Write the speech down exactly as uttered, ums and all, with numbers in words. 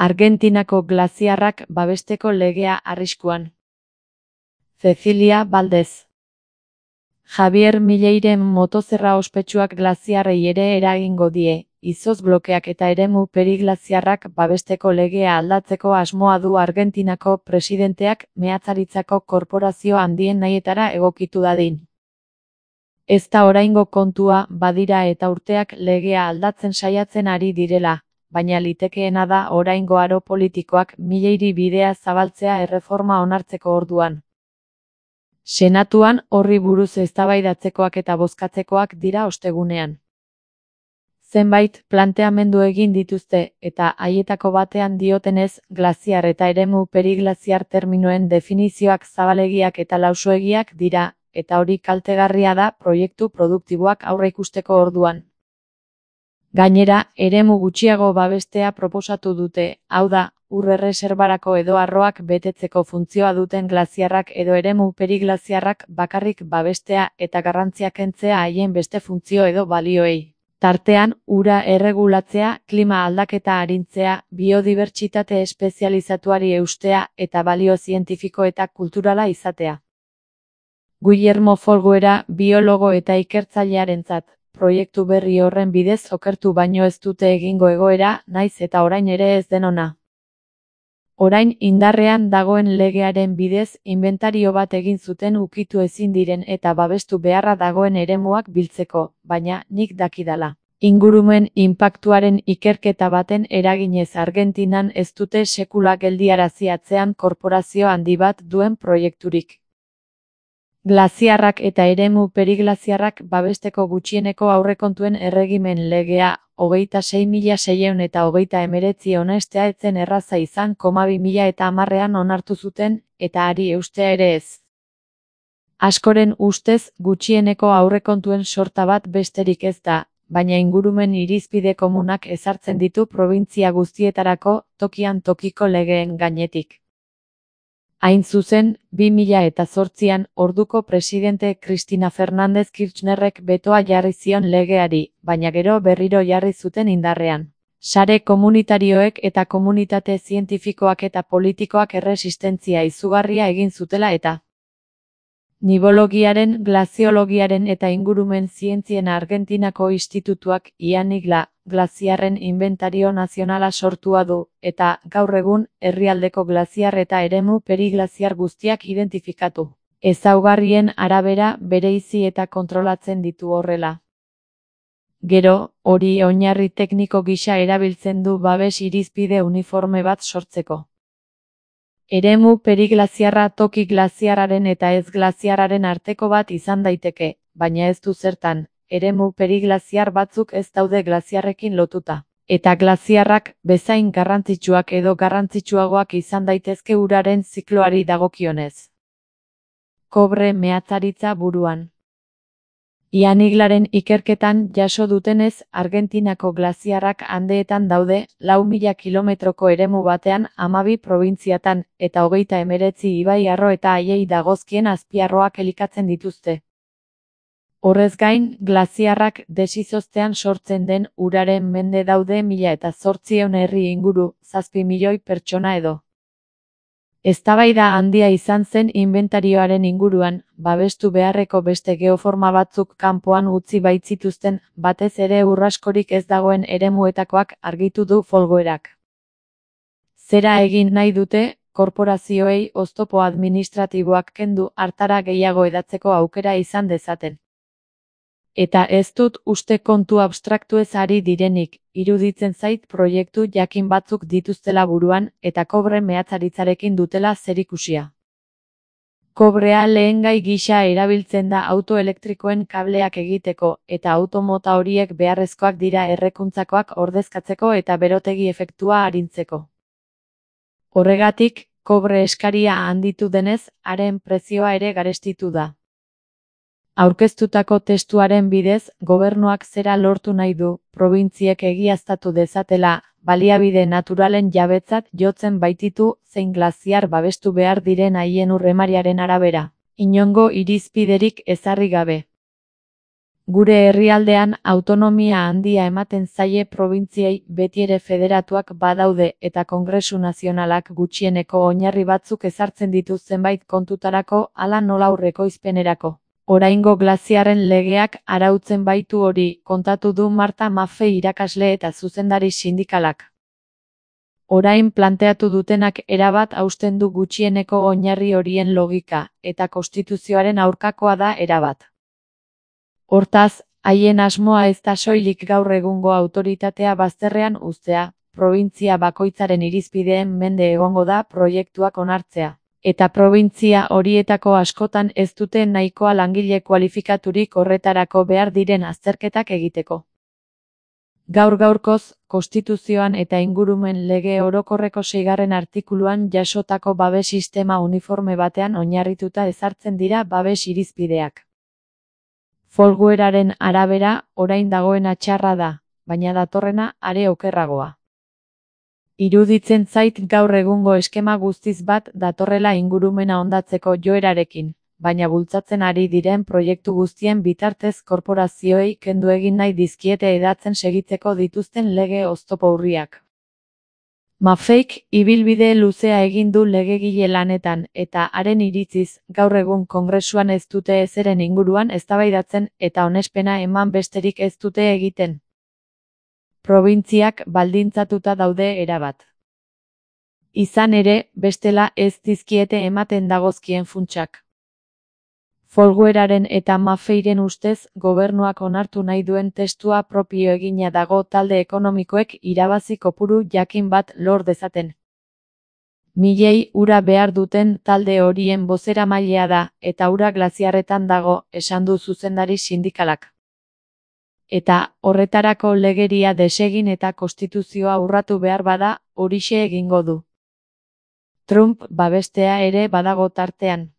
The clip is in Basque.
Argentinako glaziarrak babesteko legea arriskuan. Cecilia Valdez. Javier Mileiren motozerra ospetsuak glaziarrei ere eragingo die, izotz blokeak eta eremu periglaziarrak babesteko legea aldatzeko asmoa du Argentinako presidenteak meatzaritzako korporazio handien nahietara egokitu dadin. Ez da oraingo kontua, badira eta urteak legea aldatzen saiatzen ari direla, baina litekeena da oraingo aro politikoak Mileiri bidea zabaltzea erreforma onartzeko orduan. Senatuan horri buruz eztabaidatzekoak eta bozkatzekoak dira ostegunean. Zenbait planteamendu egin dituzte eta haietako batean diotenez glaziar eta eremu periglaziar terminoen definizioak zabalegiak eta lausoegiak dira, eta hori kaltegarria da proiektu produktiboak aurreikusteko orduan. Gainera, eremu gutxiago babestea proposatu dute, hau da, ur erreserbarako edo arroak betetzeko funtzioa duten glaziarrak edo eremu periglaziarrak bakarrik babestea eta garrantzia kentzea haien beste funtzio edo balioei. Tartean, ura erregulatzea, klima aldaketa arintzea, biodibertsitate espezializatuari eustea eta balio zientifiko eta kulturala izatea. Guillermo Folguera, biologo eta ikertzailearentzat, proiektu berri horren bidez okertu baino ez dute egingo egoera, naiz eta orain ere ez den ona. Orain indarrean dagoen legearen bidez inventario bat egin zuten ukitu ezin diren eta babestu beharra dagoen eremuak biltzeko, baina nik dakidala. Ingurumen inpaktuaren ikerketa baten eraginez Argentinan ez dute sekula geldiarazi atzean korporazio handi bat duen proiekturik. Glaziarrak eta eremu periglaziarrak babesteko gutxieneko aurrekontuen erregimen legea, hogeita sei mila seiehun eta hogeita hemeretzi onestea etzen erraza izan koma bi mila eta hamarrean onartu zuten, eta hari eustea ere ez. Askoren ustez gutxieneko aurrekontuen sorta bat besterik ez da, baina ingurumen irizpide komunak ezartzen ditu probintzia guztietarako tokian tokiko legeen gainetik. Hain zuzen, bi mila eta zortzian orduko presidente Cristina Fernández Kirchnerrek betoa jarri zion legeari, baina gero berriro jarri zuten indarrean. Sare komunitarioek eta komunitate zientifikoak eta politikoak erresistentzia izugarria egin zutela eta Nibologiaren, glaziologiaren eta ingurumen zientzien Argentinako institutuak IANIGLA, glaziarren inventario nazionala sortua du, eta, gaur egun, herrialdeko glaziar eta eremu periglaziar guztiak identifikatu. Ezaugarrien arabera bereizi eta kontrolatzen ditu horrela. Gero, hori oinarri tekniko gisa erabiltzen du babes irizpide uniforme bat sortzeko. Eremu periglaziarra toki glaziarraren eta ez glaziarraren arteko bat izan daiteke, baina ez du zertan, eremu periglaziar batzuk ez daude glaziarrekin lotuta. Eta glaziarrak bezain garrantzitsuak edo garrantzitsuagoak izan daitezke uraren zikloari dagokionez. Kobre meatzaritza buruan. IANIGLaren ikerketan jaso dutenez, Argentinako glaziarrak Andeetan daude, lau mila kilometroko eremu batean hamabi probintziatan, eta hogeita hemeretzi ibai arro eta haiei dagozkien azpiarroak elikatzen dituzte. Horrez gain, glaziarrak desizoztean sortzen den uraren mende daude mila eta zortziehun herri inguru, zazpi milioi pertsona edo. Eztabaida handia izan zen inbentarioaren inguruan, babestu beharreko beste geoforma batzuk kanpoan utzi baitzituzten, batez ere urraskorik ez dagoen eremuetakoak argitu du Folguerak. Zera egin nahi dute, korporazioei oztopo administratiboak kendu hartara gehiago edatzeko aukera izan dezaten. Eta ez dut uste kontu abstraktuez ari direnik, iruditzen zait proiektu jakin batzuk dituztela buruan eta kobre meatzaritzarekin dutela zerikusia. Kobrea lehengai gisa erabiltzen da auto elektrikoen kableak egiteko eta automota horiek beharrezkoak dira errekuntzakoak ordezkatzeko eta berotegi efektua arintzeko. Horregatik, kobre eskaria handitu denez, haren prezioa ere garestitu da. Aurkeztutako testuaren bidez, gobernuak zera lortu nahi du, probintziek egiaztatu dezatela, baliabide naturalen jabetzat jotzen baititu zein glaziar babestu behar diren haien urremariaren arabera, inongo irizpiderik ezarri gabe. Gure herrialdean autonomia handia ematen zaie probintziei betiere federatuak badaude eta Kongresu Nazionalak gutxieneko oinarri batzuk ezartzen ditu zenbait kontutarako hala nola aurrekoizpenerako. Oraingo glaziarren legeak arautzen baitu hori, kontatu du Marta Maffei irakasle eta zuzendari sindikalak. Orain planteatu dutenak erabat hausten du gutxieneko oinarri horien logika, eta konstituzioaren aurkakoa da erabat. Hortaz, haien asmoa ez da soilik gaur egungo autoritatea bazterrean uztea, probintzia bakoitzaren irizpideen mende egongo da proiektuak onartzea, eta probintzia horietako askotan ez dute nahikoa langile kualifikaturik horretarako behar diren azterketak egiteko. Gaur gaurkoz, konstituzioan eta ingurumen lege orokorreko seigarren artikuluan jasotako babes sistema uniforme batean oinarrituta ezartzen dira babes irizpideak. Folgueraren arabera, orain dagoena txarra da, baina datorrena are okerragoa. Iruditzen zait gaur egungo eskema guztiz bat datorrela ingurumena hondatzeko joerarekin, baina bultzatzen ari diren proiektu guztien bitartez korporazioei kendu egin nahi dizkiete hedatzen segitzeko dituzten lege oztopo urriak. Maffeik ibilbide luzea egin du legegile lanetan eta haren iritziz gaur egun Kongresuan ez dute ezeren inguruan eztabaidatzen eta onespena eman besterik ez dute egiten. Probintziak baldintzatuta daude erabat. Izan ere, bestela ez dizkiete ematen dagozkien funtsak. Folgueraren eta Maffeiren ustez, gobernuak onartu nahi duen testua propio egina dago talde ekonomikoek irabazi kopuru jakin bat lor dezaten. Milei ura behar duten talde horien bozeramailea da, eta ura glaziarretan dago, esan du zuzendari sindikalak. Eta, horretarako legeria desegin eta konstituzioa urratu behar bada, horixe egingo du. Trump babestea ere badago tartean.